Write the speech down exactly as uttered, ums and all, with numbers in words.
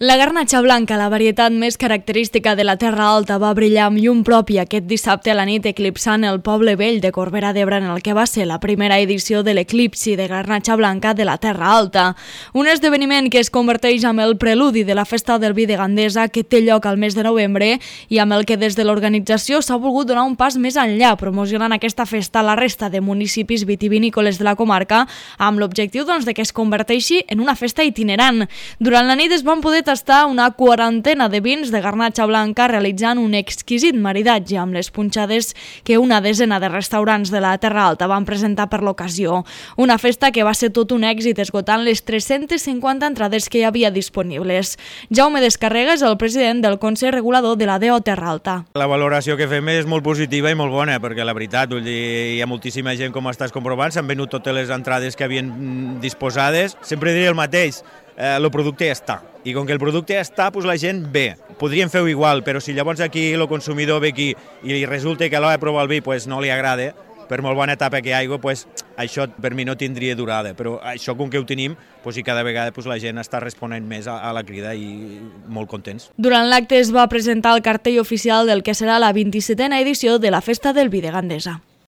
La garnatxa blanca, la varietat més característica de la Terra Alta, va brillar amb llum propi aquest dissabte a la nit, eclipsant el poble vell de Corbera d'Ebre en el que va ser la primera edició de l'eclipsi de garnatxa blanca de la Terra Alta. Un esdeveniment que es converteix en el preludi de la festa del vi de Gandesa que té lloc al mes de novembre i amb el que des de l'organització s'ha volgut donar un pas més enllà, promocionant aquesta festa a la resta de municipis vitivinícoles de la comarca amb l'objectiu doncs, de que es converteixi en una festa itinerant. Durant la nit es van poder tastar una quarantena de vins de garnatxa blanca realitzant un exquisit maridatge amb les punxades que una desena de restaurants de la Terra Alta van presentar per l'ocasió. Una festa que va ser tot un èxit esgotant les tres-centes cinquanta entrades que hi havia disponibles. Jaume Descarrega és el president del Consell Regulador de la D O Terra Alta. La valoració que fem és molt positiva i molt bona perquè la veritat, vull dir, hi ha moltíssima gent com estàs comprovant, s'han venut totes les entrades que havien disposades. Sempre diré el mateix, eh, el producte ja està. I com que el producte ja està, doncs la gent ve. Podríem fer-ho igual, però si llavors aquí el consumidor ve aquí i resulta que a l'hora de provar el vi doncs no li agrada, per molt bona etapa que hi hagi, doncs això per mi no tindria durada. Però això com que ho tenim, doncs i cada vegada doncs la gent està responent més a, a la crida i molt contents. Durant l'acte es va presentar el cartell oficial del que serà la vint-i-setena edició de la Festa del Vi de Gandesa.